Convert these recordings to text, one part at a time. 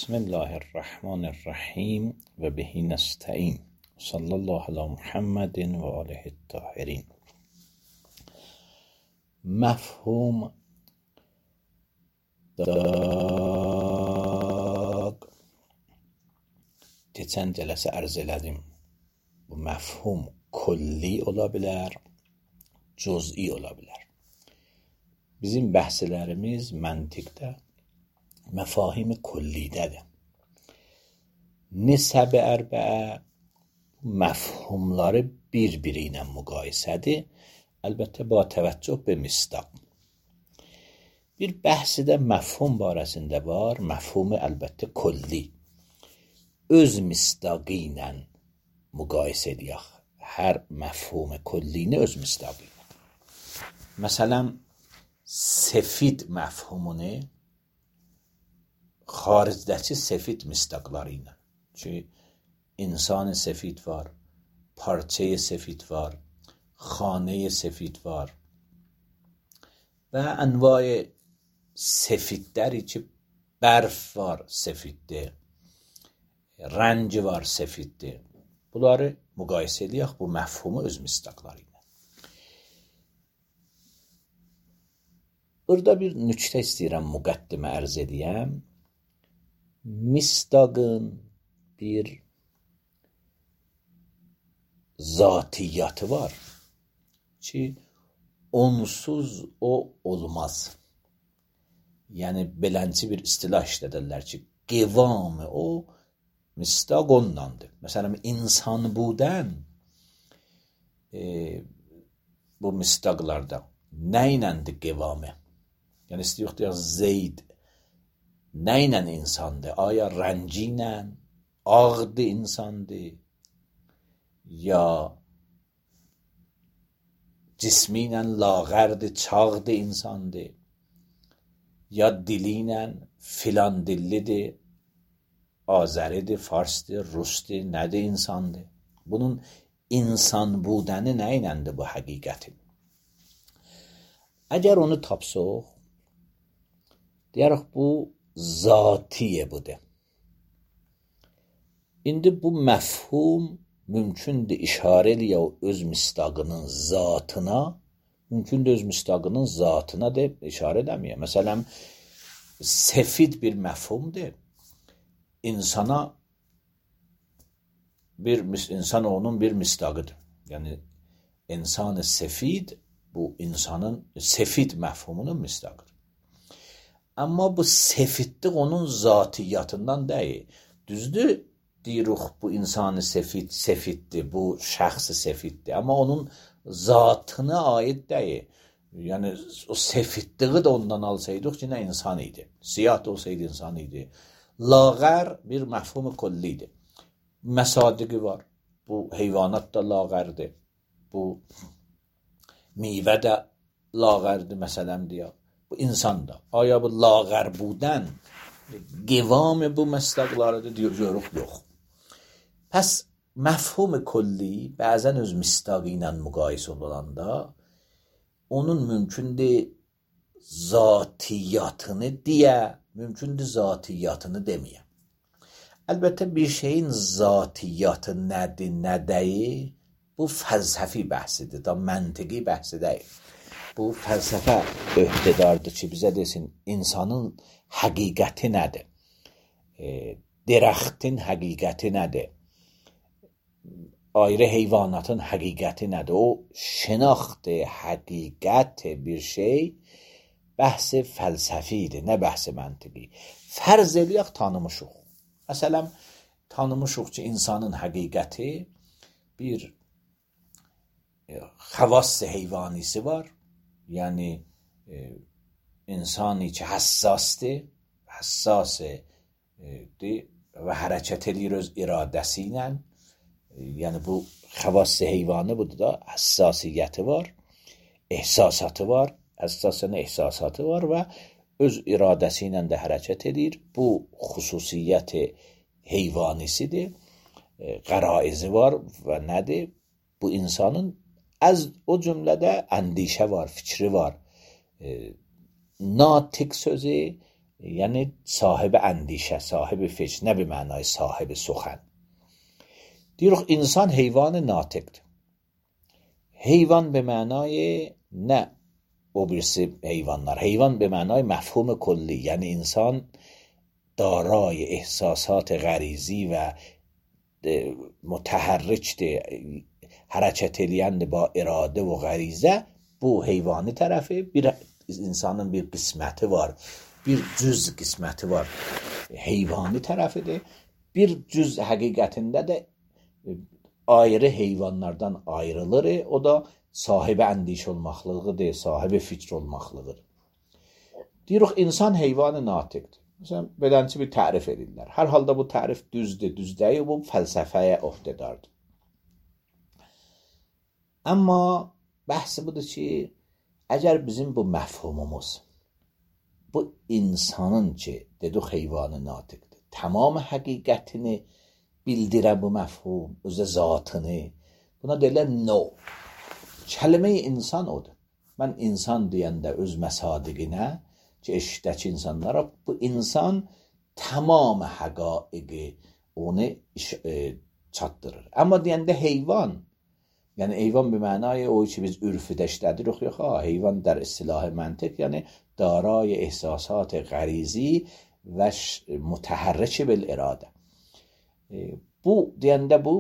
بسم الله الرحمن الرحیم و به نستعین صلی الله علی محمد و آله الطاهرین. مفهوم keçən cələsə arz elədim. Bu məfhum kulli ola bilər, cüz'i ola bilər. Bizim bəhslərimiz məntiqdə məfahim kullidədir. Nisəb-i ərbəə məfhumları bir-biri ilə müqayisədir. Əlbəttə ba təvəccüh be misdaq. Bir bəhsi də məfhum barəsində var. Məfhumu əlbəttə kulli. Öz misdaqı ilə müqayisə edək. Hər məfhum kullini öz misdaqı ilə. Məsələn, sefid məfhumunu xaricdəki sefid misdaqları ilə. Çünki insan sefid var, parçayı sefid var, xanəyi sefid var və ənvai sefidləri ki, bərf var sefiddir, rəngi var sefiddir. Bunları müqayisə edək bu məfhumu öz misdaqları ilə. Burada bir nüktə istəyirəm müqəddimə ərz edəyəm. Misdaqın bir zatiyyatı var ki, onsuz o olmaz. Yəni, belənçi bir istilah işlədirlər ki, qivamı o misdaq ondandır. Məsələn, insan budən bu misdaqlarda nə iləndir qivamı? Yəni, istəyək deyək, Zeyd nə ilə insandır? Aya rəngi ilə, ağdır insandır, ya cismi ilə lağərdir, çağdır insandır, ya dili ilə filan dillidir, azəridir, farsdır, rusdur, nədir insandır? Bunun insan budəni nə iləndir bu həqiqətin? Əgər onu tapsaq, deyərək bu zatiye budur. İndi bu məfhum mümkündür işarə eləyə o öz misdaqının zatına, mümkündür öz misdaqının zatına deyib işarə edəməyə. Məsələn, sefid bir məfhumdur. İnsanoğlunun bir misdaqıdır. Yəni, insan-ı sefid bu insanın sefid məfhumunun misdaqıdır. Amma bu sefidlik onun zatiyyatından deyil. Düzdür, deyirik bu insanı sefiddir, bu şəxsi sefiddir. Amma onun zatına aid deyil. Yəni, o sefidliği də ondan alsaydıq ki, nə insan idi. Siyah da olsaydı insan idi. Lağər bir məfhum kullidir. Məsadiqi var. Bu heyvanat da lağərdir. Bu meyvə də lağərdir, məsələn deyək. Bu insan da. Aya bu lağər budən qivamı bu məsdaqlarıdır, deyirik, yox. Pəs məfhum kulli bəzən öz misdaqı ilə müqayisə olanda onun mümkündür zatiyyatını deyə, mümkündür zatiyyatını deməyə. Əlbəttə bir şeyin zatiyyatı nədir, nə deyil, bu fəlsəfi bəhsidir, da məntiqi bəhsi deyil. Bu fəlsəfə öhdədardır ki, bizə desin, insanın həqiqəti nədir? Dərəxtin həqiqəti nədir? Ayrı heyvanatın həqiqəti nədir? O şinaxtı, həqiqət bir şey bəhsi fəlsəfidir, nə bəhsi məntiqi. Fərz eləyək tanımışıq. Məsələn, tanımışıq ki, insanın həqiqəti bir xəvass-ı heyvanisi var. Yəni, insani ki, həssasdır və hərəkət edir öz iradəsi ilə. Yəni, bu xəvass-ı heyvanı budur da, həssasiyyəti var, ehsasatı var, həssasının ehsasatı var və öz iradəsi ilə də hərəkət edir. Bu xüsusiyyəti heyvanisidir, qəraizi var və nədir? Bu insanın o cümlədə əndişə var, fikri var. Natiq sözü یعنی صاحب اندیشه، صاحب فکر، نه به معنای صاحب سخن. دیروز انسان حیوان ناطق، حیوان به معنای نه اوبرس حیوانlar، حیوان به معنای مفهوم کلی، یعنی انسان دارای احساسات غریزی و متحرک hareket ediyen با irade ve garize, bu heyvani tarafı. Bir insanın bir kısmeti var, bir cüz kısmeti var, heyvani tarafıdır. Bir cüz hakikatinde de ayrı heyvanlardan ayrılır. O da sahibi endiş olmaklığıdır, sahibi fikir olmaklığıdır. Diyoruz insan heyvanı natıqdır. Mesela beləncə bir tərif edirlər. Hər halda bu tərif düzdür, düz deyil, bu fəlsəfəyə öhdədardır. Amma bəhsi budur ki, əgər bizim bu məfhumumuz, bu insanın ki, dedik heyvanı natıqdır, tamam həqiqətini bildirə bu məfhum, özə zatını, buna deyirlər no. Kəlmə-i insan odur. Mən insan deyəndə öz məsadiqinə, ki eşitdəki insanlara bu insan tamam həqaiqi onu çatdırır. Amma deyəndə heyvan, yəni heyvan bir mənaya o ki biz ürfüdə işlədirik, yox, heyvan در اصطلاح منطق یعنی دارای احساسات غریزی و متحرک بالاراده. Bu deyəndə bu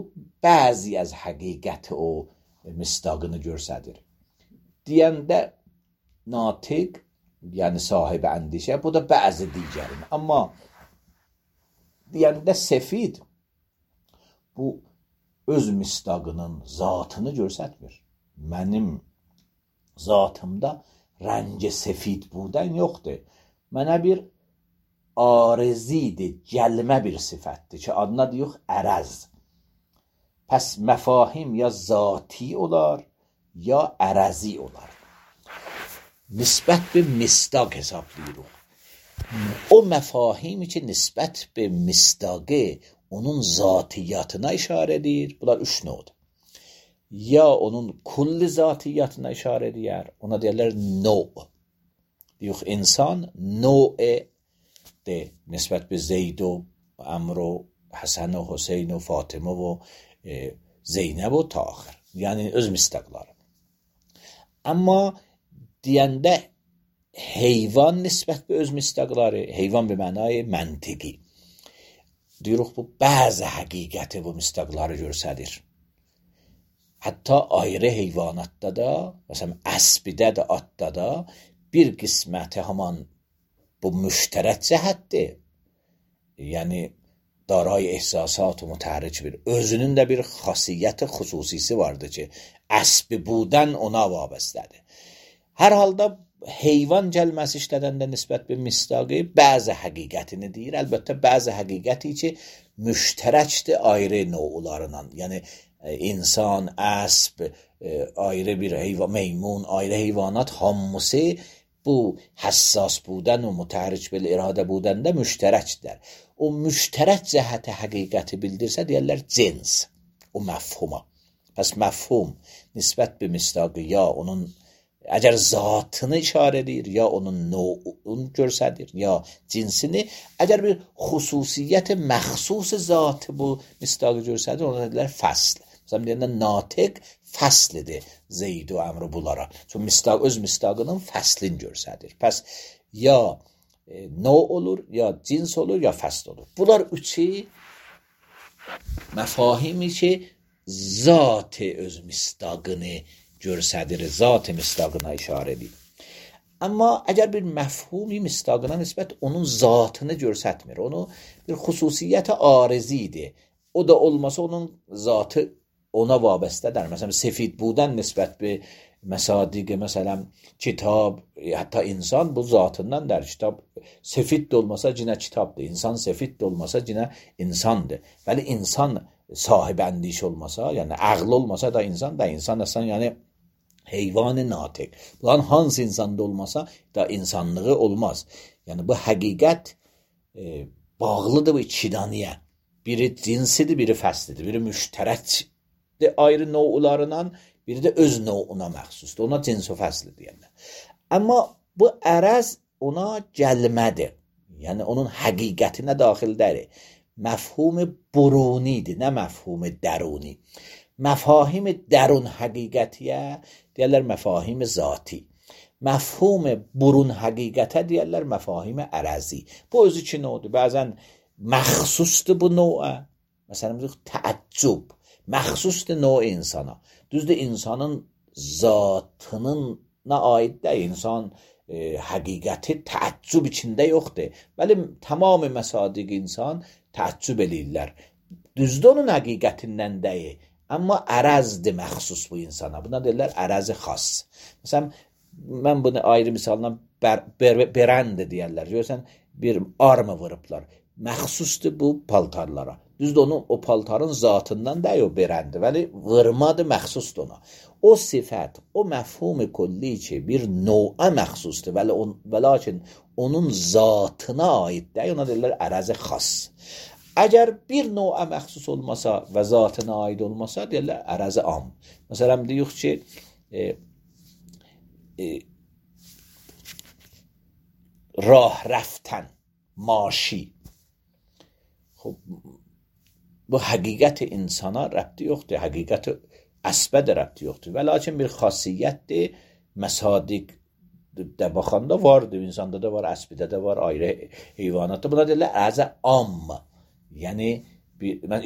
bəzi az həqiqət o misdaqını göstərir. Deyəndə natiq yani sahibi endişe, bu da bazı diğerini. Ama deyəndə sefid, bu öz misdaqının zatını göstərmir. Mənim zatımda rəng sefid budan yoxdur. Mənə bir arizidir, gəlmə bir sifətdir ki, adına deyək ərəz. Pəs məfahim ya zati olar, ya ərəzi olar. Nisbət bir misdaq hesablayırıq. O məfahimi ki, nisbət bir misdaqı onun zatiyyatına işarə edir. Bunlar üç növdür. Ya onun kulli zatiyyatına işarə edir, ona deyirlər növ. Deyək, insan növ de nisbət bir Zeyd و Əmr و Həsən و Hüseyn و Fatimə و Zeynəb و ta axır. Yəni öz misdaqları. Amma deyəndə heyvan nisbət bir öz misdaqları, heyvan bir mənay məntiqi. Deyirik bu bəzi həqiqəti bu misdaqları göstərir. Hətta ayrı heyvanatda da, məsələn əsbidə də, atda da bir qisməti haman bu müştərək cəhətdir. Yəni daray ehsasat و متحرک bir. Özünün də bir xasiyyəti, xüsusisi vardır ki, əsbi budən ona vabastədir. Hər halda heyvan gəlməsi işlədəndə nisbət bir misdaqı bəzi həqiqətini deyir. Əlbəttə bəzi həqiqəti ki, müştərəkdir ayrı növlarından. Yəni insan, əsb, ayrı bir heyvan, meymun, ayrı heyvanat hamısı bu həssas budən və mütəhərrik bil iradə budəndə müştərəkdir. O müştərək cəhəti həqiqəti bildirsə deyərlər cins, o məfhuma. Pəs məfhum nisbət bir misdaqı ya onun əgər zatını işarə edir, ya onun növunu göstərir, ya cinsini, əgər bir xüsusiyyət məxsus zatı bu misdaqı göstərir, ona deyirlər fəsl. Məsələn deyəndə natiq fəslidir Zeyd و Əmr bunlara. Çünki misdaq öz misdaqının fəslini göstərir. Pəs ya növ olur, ya cins olur, ya fəsl olur. Bunlar üçü məfahimi ki, zat-ı öz misdaqını göstərir, zat-ı misdaqına işarə edir. Amma əgər bir məfhumi misdaqına nisbət onun zatını göstərmir, onu bir xüsusiyyət arizidir. O da olmasa onun zatı ona vabastədir. Məsələn, sefid budən nisbət bir məsadiqə, məsələn, kitab, hətta insan bu zatından der. Kitab sefid də olmasa cinə kitabdır. İnsan sefid də olmasa cinə insandır. Bəli, insan sahib endiş olmasa, yəni ağıl olmasa da insan əslən, yəni heyvan-ı natiq. Bunların hansı insanda olmasa da insanlığı olmaz. Yəni bu həqiqət bağlıdır bu ikidaniyə. Biri cinsidir, biri fəslidir, biri müştərəkdir ayrı növlarından, biri də öz növuna məxsusdur. Ona cins və fəsli deyirlər. Amma bu ərəz ona gəlmədir. yani onun həqiqətinə daxildədir. Məfhum burunidir, nə məfhum dəruni. Məfahim dərun həqiqətiyə deyərlər məfahim zati. Məfhum burun həqiqətə deyərlər məfahim ərəzi. Bu özü iki növdür. Bəzən məxsusdur bu növə. Məsələn, təəccüb məxsusdur növ insana. Düzdür, insanın zatına aid deyil. İnsan həqiqəti təəccüb içində yoxdur. Bəli, tamamı məsadiq insan təəccüb eləyirlər. Düzdür, onun həqiqətindən deyil. Amma ərəzdir məxsus bu insana. Buna deyirlər ərəzi xas. Məsələn, mən bunu ayrı misalla berəndi deyərlər. Görürsən, bir armı vurublar. Məxsusdur bu paltarlara. Düzdür, onun o paltarın zatından deyil o berendi. Vəli vurmadır, məxsusdur ona. O sifət, o məfhum kulli ki bir növə məxsusdur. Və lakin onun zatına aid deyil. Ona deyirlər ərəzi xas. Əgər bir növə məxsus olmasa və zatına aid olmasa deyirlər ərəzi am. Məsələn, deyək ki rah rفتن ماشی. خب bu həqiqət insana rəbti yoxdur, həqiqət əsbə də rəbti yoxdur. Və lakin bir xasiyyətdir, məsadiqdə baxanda vardır, insanda da var, əsbidə də var, ayrı heyvanatda. Buna deyirlər əzə am, yəni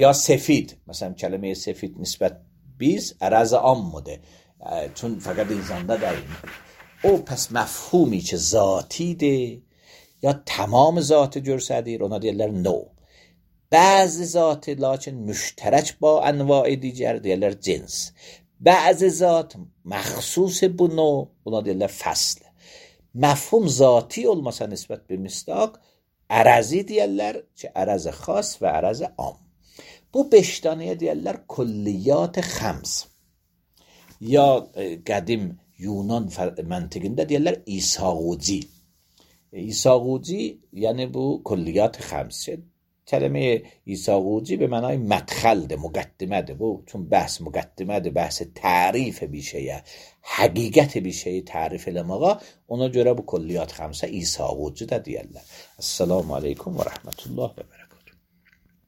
ya sefid, məsələn kəlmə sefid nisbət biz ərəzə ammıdır, çün fəqət insanda deyil. O pəs məfhumi ki zatidir, ya tamam zatı görsədir, ona deyirlər no. Bəzi zatı lakin müştərək ba ənva digər deyirlər cins. Bəzi zat məxsus bu no, ona deyirlər fəsl. Məfhum zati olmasa nisbət bir misdaq, ərəzi deyirlər ki ərəzi xas və ərəzi am. Bu 5 danəyə deyirlər kulliyat xəms. Ya qədim Yunan məntiqində deyirlər İsağuci. İsağuci yəni bu kulliyat xəms. Kəlmə İsağuci به معنای مدخلdir, müqəddimədir. Bu çün bəhs müqəddimədir, bəhs tərif bir şeyə, həqiqət bir şeyi tərif eləməyə, ona görə bu kulliyat xəmsə İsağuci də deyirlər. Assalamu aleykum və rəhmətullah və bərəkətuhu.